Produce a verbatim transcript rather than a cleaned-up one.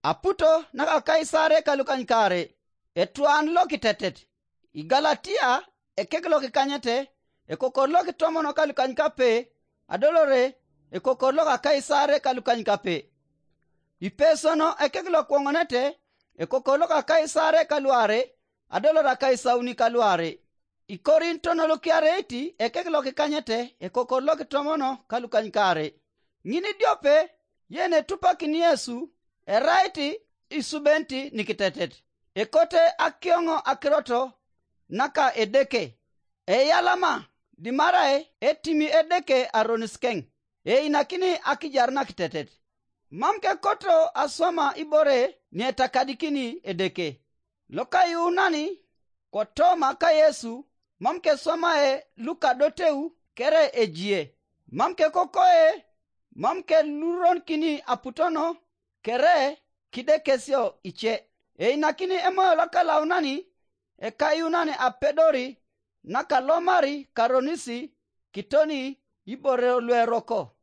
Aputo naka Kaisare ka lukanykaare, etwan lokitetet. I Galatia ekek lokikanyete, ekokor lokitomono ka lukanykape, adolore ekokor loka Kaisare ka lukanykape. I Pesono ekek lokwoŋonete, ekokor loka Kaisare ka luare, adolore akaisauni ka luare. I Korinto nolukiareiti ekek lokikanyete, ekokor lokitomono ka lukanykaare. Ŋin idiope, yen etupakin Yesu, erait isubenit nikitetet, ekote akioŋo akirot naka Edeke, eyalama dimarai etimi Edeke aronis keŋ, einakini akijar nakitetet. Mam kekoto aswama ibore nietakadikini Edeke. Lokayuunani kotoma ka Yesu, mam keswamae lukadoteu kere ejie, mam kekokoe, mam keluronikini aputono kere kidekesio ice. Einakini Emoyo Lokalaunani ekayuunan apedori nakalomari karonisi kitoni ibore lueroko.